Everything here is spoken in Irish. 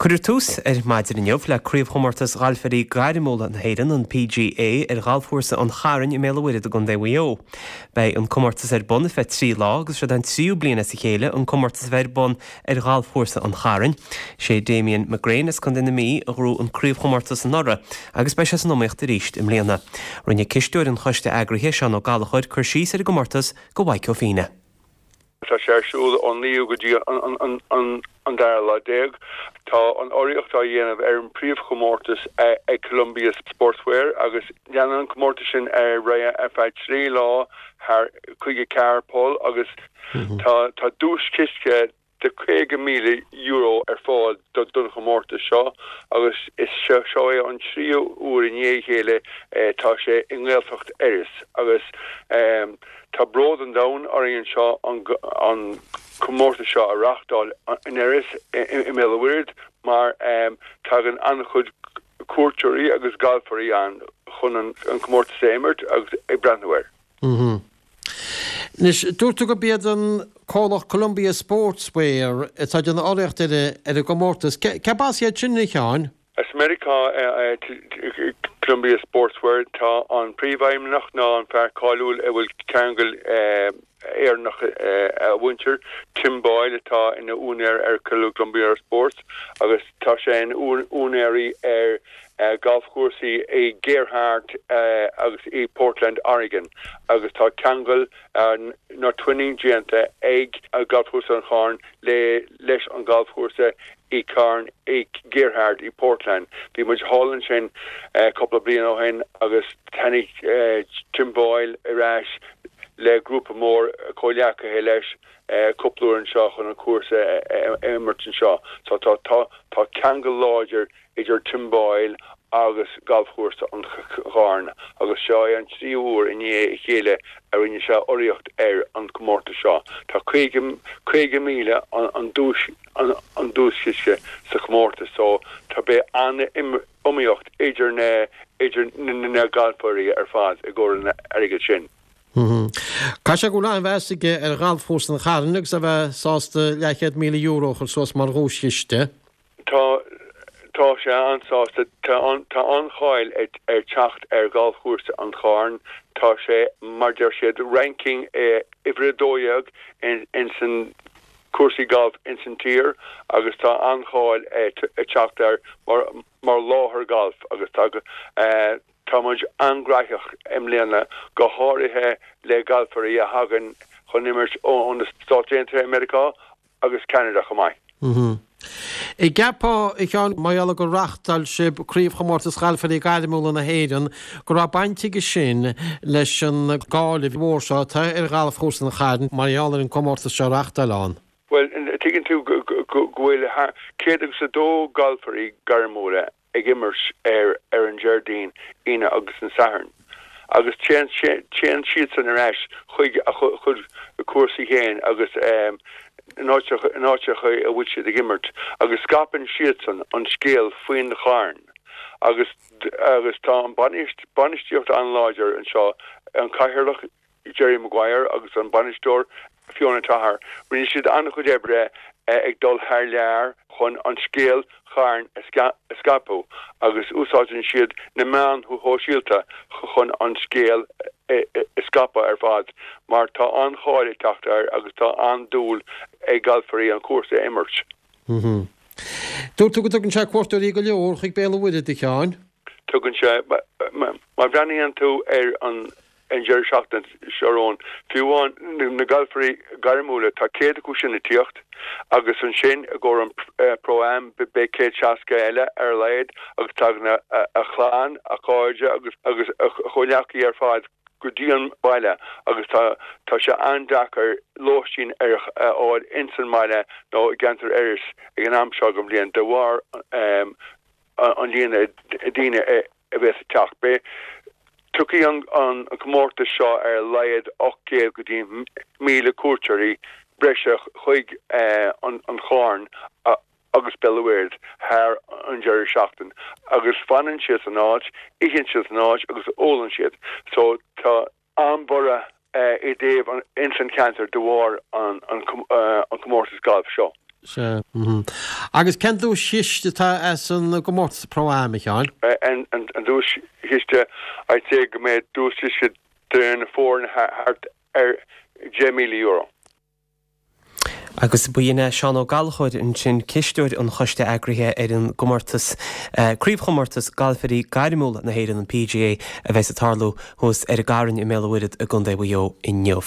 Cuirfear tús ar maidin inniu le Craobhchomórtas Ghalfairí Gairmiúla na hÉireann, an PGA, ar Ghalfchúrsa an Chairn i mBéal an Mhuirthead i gContae Mhaigh Eo. Beidh an comórtas ar bun ar feadh 3 lá agus seod é an tríú bliain as a chéile an comórtas a bheith ar bun ar Ghalfchúrsa an Chairn. Sé Damien McGrane as Contae na Mí a ghnóthaigh an craobhchomórtas anuraidh agus beidh sé san iomaíocht arís i mbliana. Rinne cisteoir an choiste eagraithe, Seán Ó Gallchóir, cur síos ar an gcomórtas do Mhaidhc Ó Feinneadha. Tá sé ar siúl ón naoú go dtí an dara lá déag. Tá an urraíocht á dhéanamh ar an bpríomhchomórtas ag Columbia Sportswear agus leanann an comórtas sin ar aghaidh ar feadh 3 lá thar 54 poll agus tá duaischiste de €50,000 ar fáil don chomórtas seo agus is seo é an tríú uair i ndiaidh a chéile tá sé i nGaeltacht Iorrais agus tá bród an domhain orainn anseo an comórtas seo a reáchtáil in Iorras i mBéal an Mhuirthead mar tagann an-chuid cuairteoirí agus galfairí ann chun an comórtas a imirt agus ag breathnú air. Anois, dúirt tú gurb iad an comhlacht Columbia Sportswear atá ag déanamh urraíocht ar an gcomórtas. Cérb as iad sin, a Sheáin? As Meiriceá é Columbia Sportswear. Tá an príomhfheidhmeannach ná an fear cáiliúil a bhfuil ceangal Éireannach a mhuintir, Tim Boyle atá ina úinéir ar Columbia Sports agus tá sé ina úinéirí ar galfchúrsaí i Gearhart agus i Portland, Oregon agus tá ceangal nó twinning déanta ag Galfchúrsa an Chairn le leis an galfchúrsa i Carn i Gearhart i Portland. Bhí muid thall ansin cúpla bliain ó shin agus tháinig Tim Boyle ar ais le grúpa mór comhghleacaithe leis cúpla uair anseo chun an cúrsa a imirt anseo. So tá tá ceangal láidir idir Tim Boyle agus Galfchúrsa an Chairn agus seo é an tríú huair i ndiaidh a chéile a rinne sé urraíocht ar an gcomórtas seo. Tá 50,000 an duais an duaischiste sa chomórtas so tá beidh an-iomaíocht idir na idir na galfairí ar fad i gcomhair an airgid sin. Caithfidh sé go bhfuil an-mheas aige ar Ghalfchúrsa an Chairn agus é a bheith sásta leathchéad €1,000 a chur suas mar dhuaischiste. Tá, tá sé an-sásta. Tá an, tá an-cháil ag, ag teacht ar Ghalfchúrsa an Chairn. Tá sé, mar deir siad, ranking uimhir 12 in, ins an cúrsaí gailf ins an tír agus tá an-cháil ag teacht air mar, mar láthair gailf agus tá, tá muid an-ghnóthach i mbliana, go háirithe le galfairí a thagann chun imirt ó na Stáit Aontaithe Meiriceá agus Ceanada chomh maith. An gceapfá, a Sheáin, mar gheall gur reáchtáil sibh Craobhchomórtas Ghalfairí Gairmiúla na hÉireann, go raibh baint aige sin leis an gcáil mhór seo atá ar Ghalfchúrsa an Chairn mar gheall ar an gcomórtas seo a reáchtáil ann? Bhuel, tuigeann tú go bhfuil 102 galfairí gairmiúla ag imirt ar ar an Déardaoin, Aoine agus an Satharn agus téann téann siadsan ar ais chuig a chuid cúrsaí féin agus in áiteacha in áiteacha a bhfuil siad ag imirt agus scaipeann siadsan an scéal faoin Charn agus agus tá an bainistíocht an-láidir anseo, an cathaoirleach Jerry Maguire agus an bainisteoir Fiona Toher. Rinne siad an-chuid oibre ag dul thar lear chun an scéal Chairn a scaipeadh agus úsáideann siad na meáin shóisialta chun an scéal a scaipeadh ar fad mar tá an-cháil ag teacht air agus tá an-dúil ag galfairí an cúrsa a imirt. Dúirt tú go dtugann sé cuairteoirí go leor chuig Béal an Mhuirthead, a Sheáin. Tugann sé. Má bhreathnaíonn tú ar an an deireadh seachtaine seo romhainn. Fiú amháin na galfairí gairmiúla, tá 100 acu sin ag tíocht agus ansin i gcomhair an Pro Am beidh 160 eile ar a laghad agus tagann a chlann, a chairde agus agus a chomhghleacaithe ar fad go dtí an baile agus tá tá sé an-deacair lóistín a fháil ins an mbaile nó i gceantar Iorrais ag an am seo den bhliain de bharr an líon daoine a bheas ag teacht. Beidh, tiocfaidh an comórtas seo ar a laghad 800 go dtí 1,000 cuairteoirí breise chuig an Charn agus Béal an Mhuirthead thar an deireadh seachtain agus fanann siad san áit, itheann siad san áit agus ólann siad. So tá an-bhorradh i dtaobh ins an cheantar de bharr an comórtas gailf seo. Sea. Agus cén duaischiste atá as an gcomórtas Pro-Am, a Sheáin? An duaischiste, I'd say go mbeidh duaischiste do na foirne thart ar €10,000. Agus ba shin é Seán Ó Gallchóir ansin, cisteoir an choiste eagraithe ar an gcomórtas, Craobhchomórtas Galfairí Gairmiúla na hÉireann, an PGA, a bheas ag tarlú thuas ar an gCarn i mBéal an Mhuirthead i gContae Mhaigh Eo inniu.